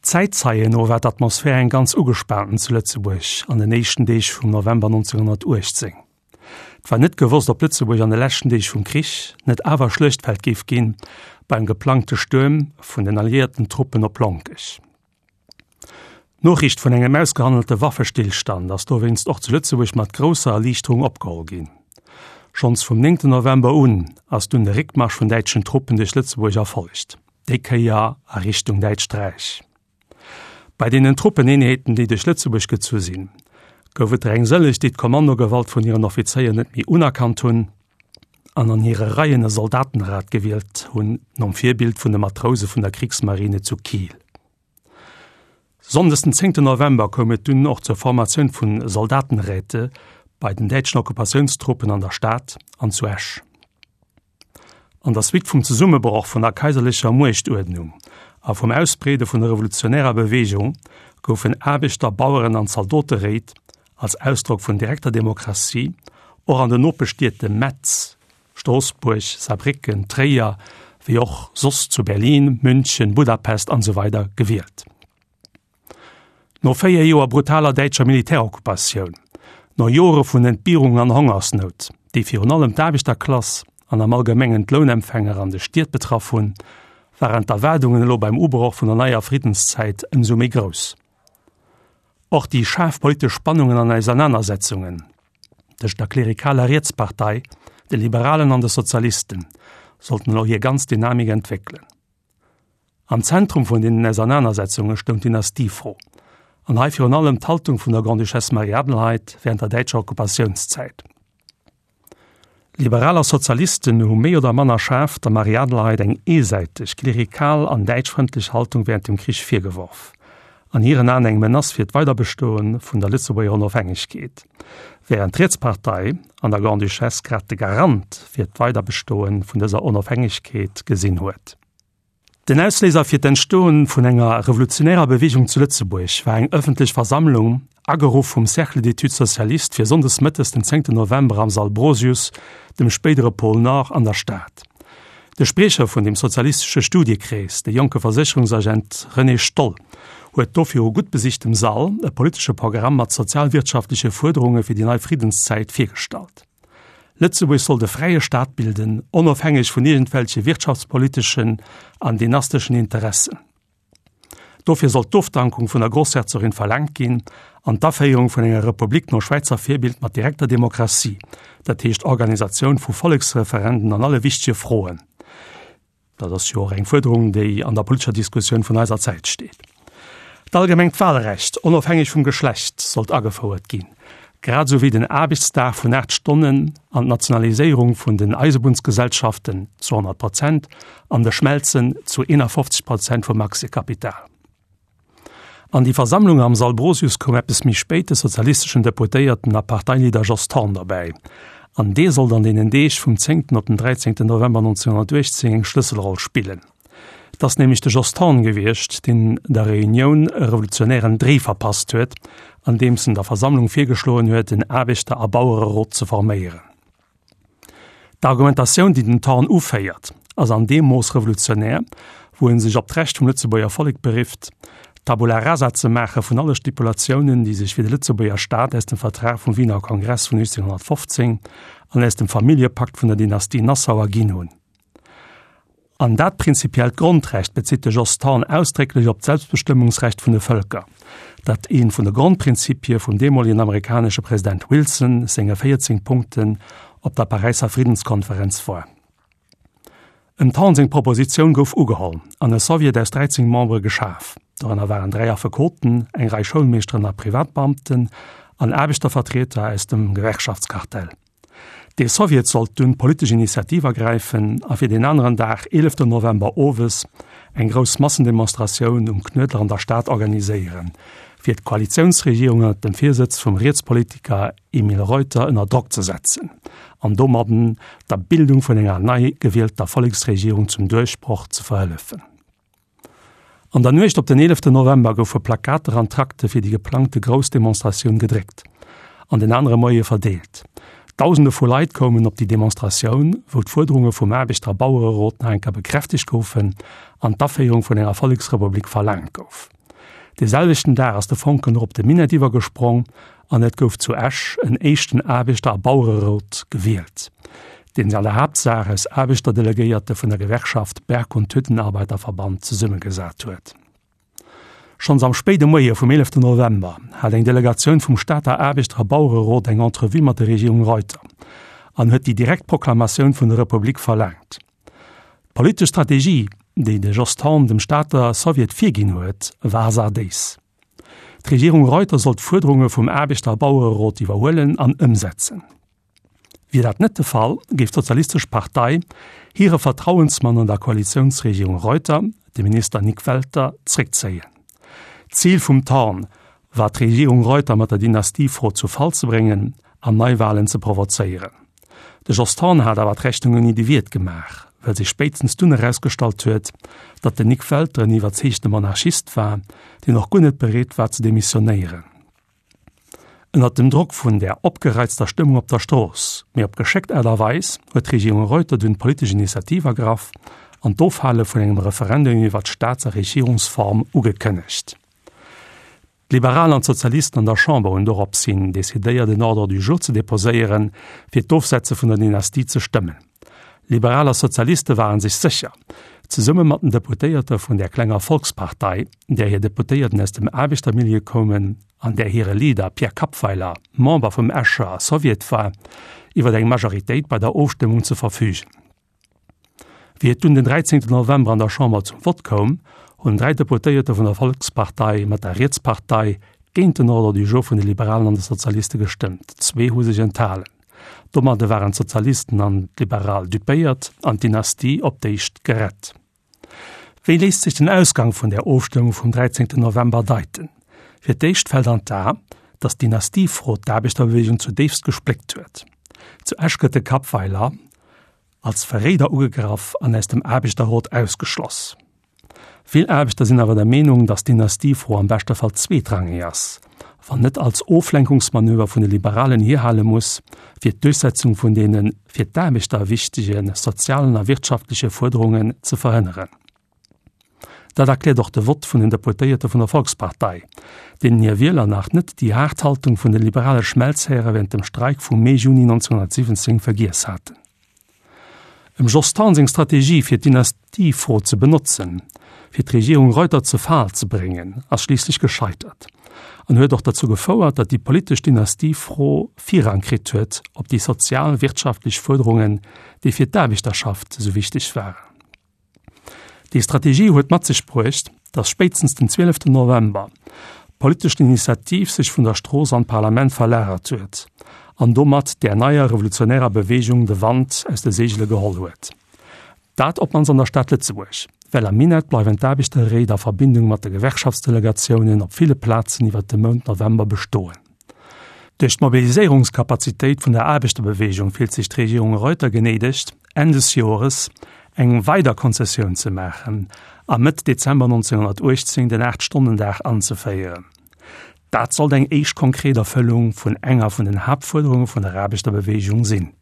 Zäitzeien no war d'Atmosphär eng ganz ugespaanten zu Lëtzebuerg an den éischten Deeg vum November 1918. Et war net gewosst, ob Lëtzebuerg an de leschten Deeg vum Krich net awer Schluechtfeld géif ginn beim geplangte Stuerm vun den alliéierten Truppen op Lonkech. D'Noriicht vun engem ausgehandelte Waffestillstand ass dowéinst och zu Lëtzebuerg mat grousser Erliichterung opgeholl ginn. Schonns vum 9 November un ass dunn de Réckmarsch vun däitschen Truppen duerch Lëtzebuerg erfollegt, déi Kéier a Richtung Däitscht Räich. Bei deenen Truppeneenheeten, déi duerch Lëtzebuerg gezu sinn, gouf et der eng sëlleg, déi d'Kommandogewalt vun hiren Offizéier net méi unerkannt hunn an an hire Reien e Soldatenrat gewielt hunn, nom Virbild vun de Matrouse vun der Kriegsmarine zu Kiel. Sonndes den zéngten November koum et dunn och zur Formatioun vu Soldatenräte bei den däitschen Okkupatiounstruppen an der Stad an zu Esch. An der Suite vum Zesummebroch vun der kaiserlecher Muechtuerdnung a vum Ausbreede vun der revolutionärer Beweegung goufen Aarbechter-, Baueren an Zaldoteréit als Ausdrock vun direkter Demokratie och an den Nopeschstied Metz, Stroossbuerg, Saarbrécken, Tréier, wéi och soss zu Berlin, München, Budapest an esou weider gewielt. No 4 Joer brutaler däitscher Militärokkupatioun, no Jore vun Entbierung an Hongersnout, déi virun allem d'Aarbechterklass an am Allgemengen d'Lounempfänger an de Stied betraff hunn, waren d'Erwaardungen elo beim Ubroch vun der neier Friddenszäit ëmsou méi grouss. Och déi schaarf politesch Spannungen an Ausernanersetzungen tëscht der klerikaler Rietspartei, de Liberalen an de Sozialisten sollten elo hir ganz Dynamik entwéckelen. Am Zentrum vun deenen Ausernanersetzunge stoung d'Dynastiefro, an hei virun allem d'Haltung vun der Grande-Duchesse Marie-Adelheid wärend der däitscher Okkupatiounszäit. Liberal a Sozialisten hu méi oder manner schaarf der Marie-Adelheid eng eesäiteg, klerikal an däitschfrëndlech Haltung wärend dem Krich virgeworf, an hiren Aen eng Menace fir d'Weiderbestoe vun der Lëtzebuerger Onofhängegkeet, wärend d'Rietspartei an der Grande-Duchesse grad de Garant fir d'Weiderbestoe vun dëser Onofhängegkeet gesinn huet. Den Ausléiser fir d'Entstoen vun enger revolutionärer Beweegung zu Lëtzebuerg war eng ëffentlech Versammlung, ageruff vum Cercle d'études socialistes fir sonndes mëttes den 10 November am Sall Brosius, dem spéidere Pôle Nord an der Stad. De Spriecher vun dem sozialistesche Studiekrees, de jonke Versécherungsagent René Stoll, huet do viru gutt besichtem Sall e politesche Programm mat sozialwirtschaftleche Fuerderunge fir déi nei Friddenszäit virgestallt. Lëtzebuerg sollt e fräie Staat bilden, onofhängeg vun iergendwelche wirtschaftspoliteschen an dynasteschen Interessen. Dofir sollt d'Ofdankung vun der Grossherzogin verlaangt ginn an d'Aféierung vun enger Republik no Schwäizer Virbild mat direkter Demokratie, dat heescht Organisatioun vu Volleksreferenden an alle wichtege Froen. Dat ass jo och eng Fuerderung, déi an der politescher Diskussioun vun eiser Zäit steet. D'allgemengt Wahlrecht, onofhängeg vum Geschlecht, sollt agefouert ginn, grad esou wéi den Aarbechtsdag vun 8 Stonnen an d'Nationaliséierung vun den Eisebunnsgesellschaften zu 100 Prozent an de Schmelzen zu 51 Prozent vum Aktiekapital. An déi Versammlung am Sall Brosius koum eppes méi spéit de sozialisteschen Deputéierten a Parteileader Jos Thorn derbäi. An dee sollt an deenen Deeg vum 10. op den 13. November 1918 eng Schlësselroll spillen. Et ass nämlech de Jos Thorn gewiescht, deen der Reunioun e revolutionären Dréi verpasst huet, andeems en der Versammlung virgeschloen huet, en Aarbechter a Bauererot ze forméieren. D'Argumentatioun, déi den Thorn uféiert, ass an deem Mooss revolutionär, wou en sech op d'Recht vum Lëtzebuerger Vollek berifft, Tabula rasa ze maache vun alle Stipulatiounen, déi sech fir de Lëtzebuerger Staat aus dem Vertrag vum Wiener Kongress vun 1815 an aus dem Familljepakt vun der Dynastie Nassau erginn hunn. An dat prinzipiellt Grondrecht bezitt de Jos Thorn ausdrécklech op d'Selbstbestëmmungsrecht vun de Vëlker, dat ee vun de Grondprinzipie vum deemolegen amerikanesche President Wilson senge 14 Punkten op der Paräisser Friddenskonferenz war. Em Thorn seng Propositioun gouf ugeholl an e Soviet aus 13 Membere geschaf, dorënner waren 3 Affekoten, eng Rei Schoulmeeschteren a Privatbeamten an Aarbechtervertrieder aus dem Gewerkschaftskartell. Dee Soviet sollt dunn d'politesch Initiativ ergräifen a fir deen aneren Dag, 11 November owes, eng grouss Massendemonstratioun um Knuedler an der Stad organiséieren, fir d'Koalitiounsregierung ënnert dem Virsëtz vum Rietspolitiker Emile Reuter ënner Drock ze setzen an domadden der Bildung vun enger nei gewielter Volleksregierung zum Duerchbroch ze verhëllefen. An der Nuecht op den 11 November goufe Plakater an Trakte fir déi geplangte grouss Demonstratioun gedréckt an den anere Moie verdeelt. Dausende vu Leit koumen op déi Demonstratioun, wou d'Fuerderunge vum Aarbechter a Bauererot nach eng Kéier bekräftegt goufen an d'Aféierung vun enger Volleksrepublik verlaangt gouf. Dee selwechten Dag ass de Fonken och op de Minett iwwergesprong an et gouf zu Esch en éischten Aarbechter a Bauererot gewielt, deen sech an der Haaptsaach aus Aarbechterdelegéierte vun der Gewerkschaft Berg und Hüttenarbeiterverband zesummegesat huet. Schonns am spéide Moie vum 11 November hat eng Delegatioun vum Stater Aarbechter a Bauererot eng Entrevue mat der Regierung Reuter an huet déi direkt Proklamatioun vun der Republik verlaangt. D'politesch Strategie, déi de Jos Thorn dem Stater Sowjet virginn huet, war sardéis. D'Regierung Reuter sollt d'Fuerderunge vum Aarbechter a Bauererot iwwerhuelen an ëmsetzen. Wier dat net de Fall, géif d'Sozialistesch Partei hire Vertrauensmann an der Koalitiounsregierung Reuter, de Minister Nik Welter, zréckzéien. D'Zil vum Thorn war d'Regierung Reuter mat der Dynastiefro zu Fall ze bréngen an Neiwahlen ze provozéieren. De Jos Thorn hat awer d'Rechnung ouni de Wiert gemaach, well sech spéitstens dunn erausgestallt huet, datt den Nik Welter en iwwerzeegte Monarchist war, deen och guer net bereet war ze demissionéieren. Ënnert dem Drock vun där opgereizter Stëmmung op der Strooss, mee op geschéckt Aart a Weis, huet d'Regierung Reuter dunn d'politesch Initiativ ergraff an d'Ofhale vun engem Referendum iwwer d'Staats a Regierungsform ugekënnegt. D'Liberal an d'Sozialisten an der Chamber hunn dorops hin decidéiert en Ordre du jour ze deposéieren, fir d'Ofsetze vun der Dynastie ze stëmmen. Liberal a Sozialiste ware sech sécher, zesumme mat den Deputéierte vun där klenger Volkspartei, där hir Deputéierten aus dem Aarbechtermilieu koumen an där hire Leader Pierre Kappweiler Member vum Escher Soviet war, iwwer eng Majoritéit bei der Ofstëmmung ze verfügen. Wéi et dunn den 13 November an der Chamber zum Vott koum, hunn 3 Deputéierte vun der Volkspartei mat der Rietspartei géint den Ordre du jour vun de Liberalen an de Sozialiste gestëmmt, zwee hu sech enthalen. Domadde waren d'Sozialisten an d'Liberal dupéiert an d'Dynastie op d'éischt gerett. Wéi léisst sech den Ausgang vun där Ofstëmmung vum 13 November deiten? Fir d'éischt fält an d'A, datt d'Dynastiefro d'Aarbechterbewegung zudéifst gespléckt huet. Zu Esch gëtt de Kappweiler als Verréider ugegraff an aus dem Aarbechterrot ausgeschloss. Vill Aarbechter sinn awer der Meenung, datt d'Dynastiefro am beschte Fall zweetrangeg ass, wann net als Oflenkungsmanöver vun de Liberalen hierhale muss, fir d'Duerchsetzung vun deene fir d'Aarbechter wichtege sozialen a wirtschaftleche Fuerderungen ze verhënneren. Dat erkläert och de Vott vun den Deputéierte vun der Volkspartei, deenen hir Wieler nach net déi haart Haltung vun de liberale Schmelzhäre während dem Streik vum Mee-Juni 1917 vergiess haten. Em Jos Thorn seng Strategie fir d'Dynastiefro ze benotzen, fir d'Regierung Reuter ze Fal ze bréngen, ass schliisslech gescheitert an huet och derzou gefouert, datt déi politesch Dynastiefro Virrang kritt huet op déi sozial-wirtschaftlech Fuerderungen, déi fir d'Aarbechterschaft esou wichteg waren. Déi Strategie huet mat sech bruecht, datt spéitstens den 12 November d'politesch Initiativ sech vun der Strooss an d'Parlament verlagert huet an domat där neier revolutionärer Beweegung de Wand aus de Seegele geholl huet. Dat op d'mannst an der Stad Lëtzebuerg, well am Minett bleiwen d'Aarbechterréit a Verbindung mat de Gewerkschaftsdelegatiounen op ville Plazen iwwer de Mount November bestoen. Duerch d'Mobiliséierungskapazitéit vun der Aarbechterbeweegung fillt sech d'Regierung Reuter genéidegt, Enn des Jores eng weider Konzessioun ze maachen a Mëtt Dezember 1918 den Aacht-Stonnen-Dag anzeféieren. Dat sollt eng éischt konkret Erfëllung vun enger vun den Haaptfuerderunge vun der Aarbechterbeweegung sinn.